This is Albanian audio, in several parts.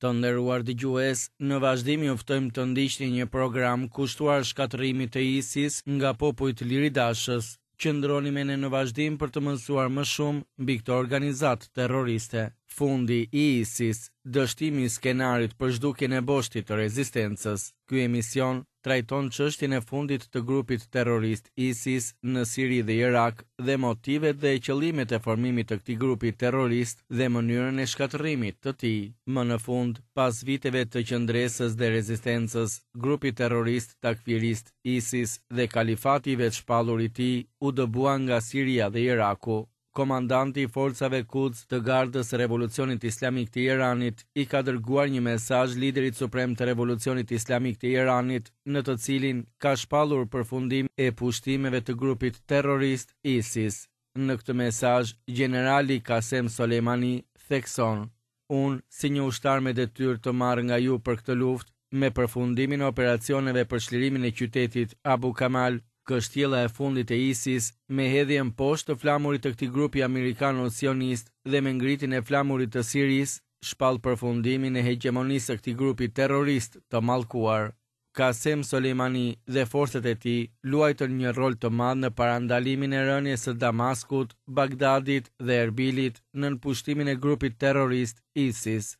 Të nderuar dëgjues, në vazhdim ju ftojmë të ndiqni një program kushtuar shkatërrimit të ISIS nga popujt liridashës. Qëndroni me ne në vazhdim për të mësuar më shumë mbi këtë organizatë terroriste. Fundi i ISIS, dështimi i skenarit për zhdukjen e boshtit të rezistencës. Ky emision trajton çështjen e fundit të grupit terrorist ISIS në Siri dhe Irak dhe motivet dhe qëllimet e formimit të këtij grupi terrorist dhe mënyrën e shkatërrimit të tij. Më në fund, pas viteve të qëndresës dhe rezistencës, grupi terrorist takfirist ISIS dhe kalifati i vetëshpallur i tij u dëbuan nga Siria dhe Iraku. Komandanti i Forcave Kuds të Gardës së Revolucionit Islamik të Iranit i ka dërguar një mesazh liderit suprem të Revolucionit Islamik të Iranit, në të cilin ka shpallur përfundimin e pushtimeve të grupit terrorist ISIS. Në këtë mesazh, gjenerali Kasem Soleimani thekson, Unë, si një ushtar me detyrë të marrë nga ju për këtë luftë, me përfundimin e operacioneve për çlirimin e qytetit Abu Kamal, kështjella e fundit e ISIS, me hedhjen poshtë të flamurit të këtij grupi amerikano-sionist dhe me ngritjen e flamurit të Sirisë, shpall përfundimin e hegjemonisë së këtij grupi terrorist të mallkuar. Kasem Soleimani dhe forcat e tij luajtën një rol të madh në parandalimin e rënies së Damaskut, Bagdadit dhe Erbilit nën pushtimin e grupit terrorist ISIS.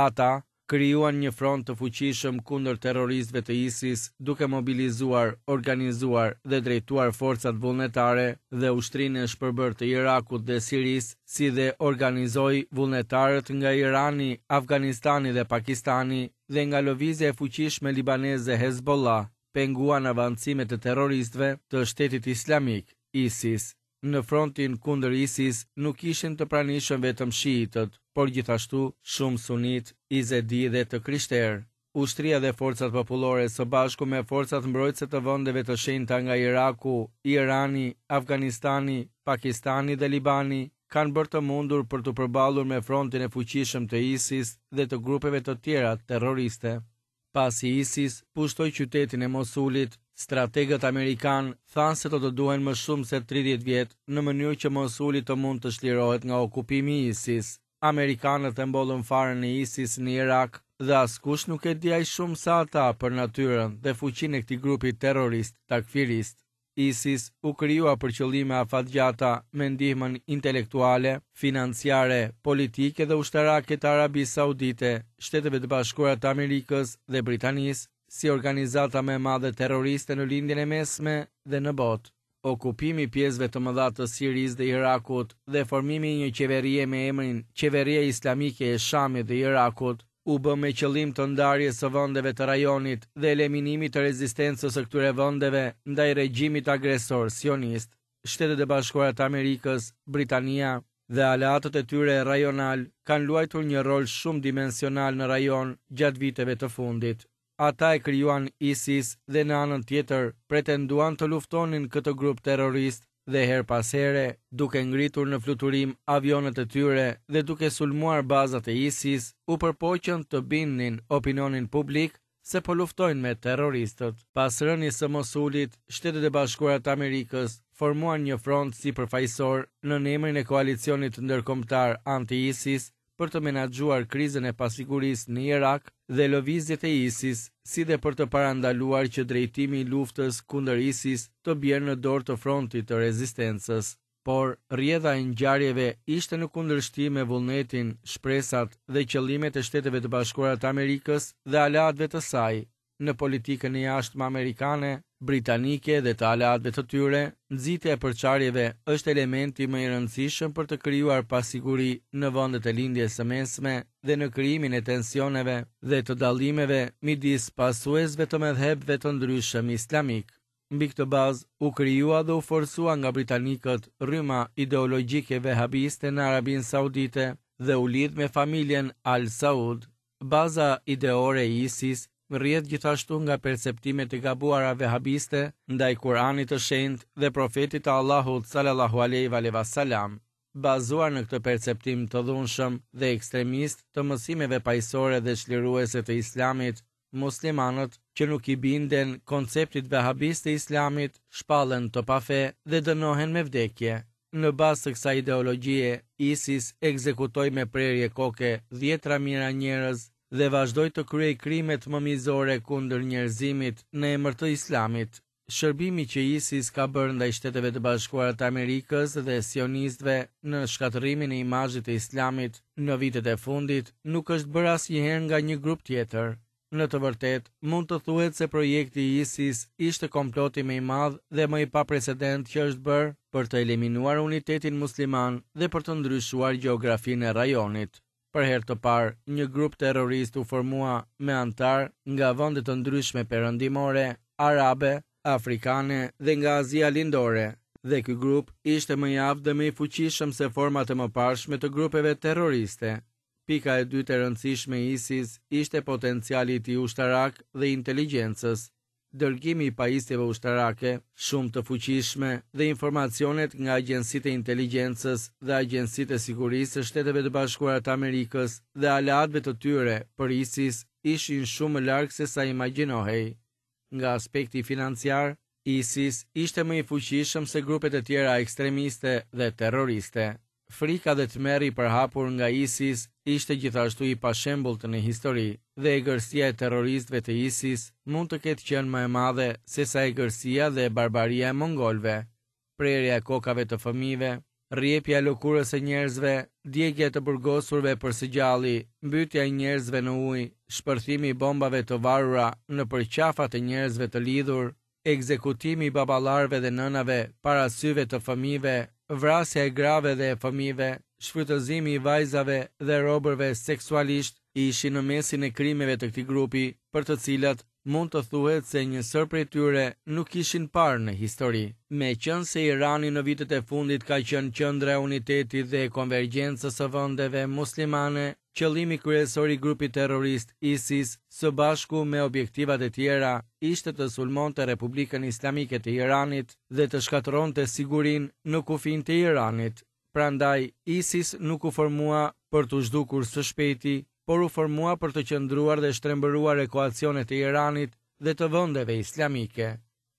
Ata krijuan një front të fuqishëm kundër terroristëve të ISIS duke mobilizuar, organizuar dhe drejtuar forcat vullnetare dhe ushtrinë e shpërbërë të Irakut dhe Sirisë, si dhe organizoi vullnetarët nga Irani, Afganistani dhe Pakistani dhe nga lëvizja e fuqishme libaneze Hezbollah penguan avancimet e terroristëve të Shtetit Islamik, ISIS. Në frontin kundër ISIS nuk ishin të pranishëm vetëm shiitët, por gjithashtu shumë sunitë, izedi dhe të krishterë. Ushtria dhe forcat popullore së bashku me forcat mbrojtëse të vendeve të shenjta nga Iraku, Irani, Afganistani, Pakistani dhe Libani kanë bërë të mundur për t'u përballur me frontin e fuqishëm të ISIS dhe të grupeve të tjera terroriste. Pasi ISIS pushtoi qytetin e Mosulit, strategët amerikanë thanë se do të duhen më shumë se 30 vjet në mënyrë që Mosuli të mund të çlirohet nga okupimi i ISIS. Amerikanët e mbollën farën e ISIS në Irak dhe askush nuk e di aq shumë sa ata për natyrën dhe fuqinë e këtij grupi terrorist takfirist. ISIS u krijua për qëllime afatgjata me ndihmën intelektuale, financiare, politike dhe ushtarake të Arabisë Saudite, Shteteve të Bashkuara të Amerikës dhe Britanisë, si organizata më e madhe terroriste në Lindjen e Mesme dhe në botë. Okupimi i pjesëve të mëdha të Sirisë dhe Irakut dhe formimi i një qeverie me emrin Qeveria Islamike e Shamit dhe Irakut u bë me qëllim të ndarjes së vendeve të rajonit dhe eliminimit të rezistencës së këtyre vendeve ndaj regjimit agresor sionist. Shtetet e Bashkuara të Amerikës, Britania dhe aleatët e tyre rajonalë kanë luajtur një rol shumëdimensional në rajon gjatë viteve të fundit. Ata e krijuan ISIS dhe në anën tjetër pretenduan të luftonin këtë grup terrorist dhe herë pas here, duke ngritur në fluturim avionët e tyre dhe duke sulmuar bazat e ISIS, u përpoqën të bindnin opinionin publik se po luftojnë me terroristët. Pas rënies së Mosulit, Shtetet e Bashkuara të Amerikës formuan një front sipërfaqësor nën emrin e Koalicionit Ndërkombëtar Anti-ISIS për të menaxhuar krizën e pasigurisë në Irak dhe lëvizjet e ISIS, si dhe për të parandaluar që drejtimi i luftës kundër ISIS të bjerë në dorë të frontit të rezistencës. Por, rrjedha e ngjarjeve ishte në kundërshtim me vullnetin, shpresat dhe qëllimet e Shteteve të Bashkuara të Amerikës dhe aleatëve të saj. Në politikën e jashtme amerikane, britanike dhe të aleatëve të tyre, nxitja e përçarjeve është elementi më i rëndësishëm për të krijuar pasiguri në vendet e Lindjes së Mesme dhe në krijimin e tensioneve dhe të dallimeve midis pasuesve të medhhebeve të ndryshëm islamikë. Mbi këtë bazë, u krijua dhe u forcua nga britanikët rryma ideologjike vehabiste në Arabinë Saudite dhe u lidh me familjen Al Saud. Baza ideore e ISIS rrjedh gjithashtu nga perceptimet e gabuara vehabiste ndaj Kur'anit të Shenjtë dhe Profetit të Allahut sallallahu alejhi ve selam. Bazuar në këtë perceptim të dhunshëm dhe ekstremist të mësimeve paqësore dhe çliruese të Islamit, muslimanët që nuk i binden konceptit vehabist të Islamit shpallen të pafe dhe dënohen me vdekje. Në bazë të kësaj ideologjie, ISIS ekzekutoi me prerje koke dhjetëra mijëra njerëz. dhe vazhdoi të kryejë krimet më mizore kundër njerëzimit në emër të Islamit. Shërbimi që ISIS ka bërë ndaj Shteteve të Bashkuara të Amerikës dhe sionistëve në shkatërrimin e imazhit të Islamit në vitet e fundit nuk është bërë asnjëherë nga një grup tjetër. Në të vërtetë, mund të thuhet se projekti i ISIS ishte komploti më i madh dhe më i paprecedentë që është bërë për të eliminuar unitetin musliman dhe për të ndryshuar gjeografinë e rajonit. Për herë të parë, një grup terrorist u formua me anëtarë nga vende të ndryshme perëndimore, arabe, afrikane dhe nga Azia Lindore, dhe ky grup ishte më i aftë dhe më i fuqishëm se format e mëparshme të grupeve terroriste. Pika e dytë e rëndësishme e ISIS ishte potenciali i tij ushtarak dhe i inteligjencës. dërgimi i pajisjeve ushtarake shumë të fuqishme dhe informacionet nga agjencitë e inteligjencës dhe agjencitë e sigurisë së Shteteve të Bashkuara të Amerikës dhe aleatëve të tyre për ISIS ishin shumë më larg se sa imagjinohej. Nga aspekti financiar, ISIS ishte më i fuqishëm se grupet e tjera ekstremiste dhe terroriste. Frika dhe tmerri i përhapur nga ISIS ishte gjithashtu i pashembullt në histori, dhe egërsia e terroristëve të ISIS mund të ketë qenë më e madhe sesa egërsia dhe barbaria e mongolëve. Prerja e kokave të fëmijëve, rrjepja e lëkurës së njerëzve, djegia e të burgosurve për së gjalli, mbytja e njerëzve në ujë, shpërthimi i bombave të varura nëpër qafat e njerëzve të lidhur, ekzekutimi i baballarëve dhe nënave para syve të fëmijëve, vrasja e grave dhe e fëmijëve, shfrytëzimi i vajzave dhe robërve seksualisht ishin në mesin e krimeve të këtij grupi, për të cilat mund të thuhet se një sërë prej tyre nuk ishin parë në histori. Meqenëse Irani në vitet e fundit ka qenë qendra e unitetit dhe e konvergjencës së vendeve muslimane, Qëllimi kryesor i grupit terrorist ISIS, së bashku me objektivat e tjera, ishte të sulmonte Republikën Islamike të Iranit dhe të shkatërronte sigurinë në kufinjtë e Iranit. Prandaj, ISIS nuk u formua për t'u zhdukur së shpejti, por u formua për të qëndruar dhe shtrembëruar ekuacionet e Iranit dhe të vendeve islamike.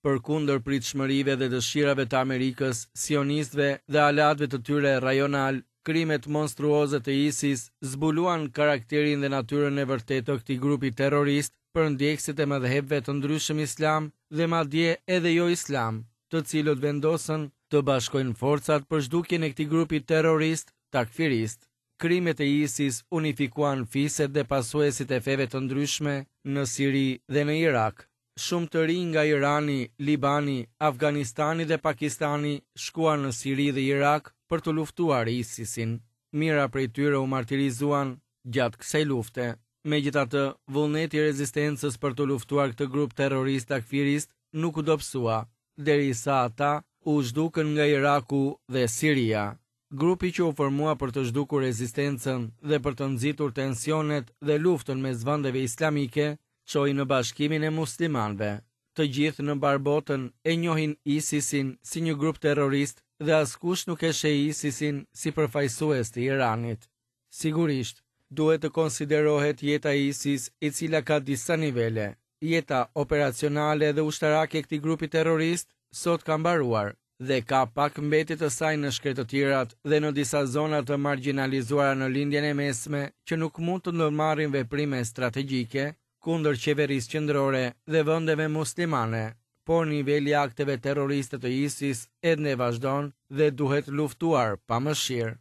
Përkundër pritshmërive dhe dëshirave të Amerikës, sionistëve dhe aleatëve të tyre rajonalë, krimet monstruoze të ISIS zbuluan karakterin dhe natyrën e vërtetë të këtij grupi terrorist për ndjekësit e medhhebeve të ndryshëm islam dhe madje edhe jo islam, të cilët vendosën të bashkojnë forcat për zhdukjen e këtij grupi terrorist takfirist. Krimet e ISIS unifikuan fiset dhe pasuesit e feve të ndryshme në Siri dhe në Irak. Shumë të rinj nga Irani, Libani, Afganistani dhe Pakistani shkuan në Siri dhe Irak për të luftuar ISIS-in. Mijëra prej tyre u martirizuan gjatë kësaj lufte. Megjithatë, vullneti i rezistencës për të luftuar këtë grup terrorist takfirist nuk u dobësua, derisa ata u zhdukën nga Iraku dhe Siria. Grupi që u formua për të zhdukur rezistencën dhe për të nxitur tensionet dhe luftën mes vendeve islamike, çoi në bashkimin e muslimanëve. Të gjithë në mbarë botën e njohin ISIS-in si një grup terrorist dhe askush nuk e sheh ISIS-in si përfaqësues të Iranit. Sigurisht, duhet të konsiderohet jeta e ISIS e cila ka disa nivele. Jeta operacionale dhe ushtarake e këtij grupi terrorist sot ka mbaruar dhe ka pak mbetje të saj në shkretëtirat dhe në disa zona të margjinalizuara në Lindjen e Mesme që nuk mund të ndërmarrin veprime strategjike kundër qeverisë qendrore dhe vendeve muslimane, por niveli i akteve terroriste të ISIS ende vazhdon dhe duhet luftuar pa mëshirë.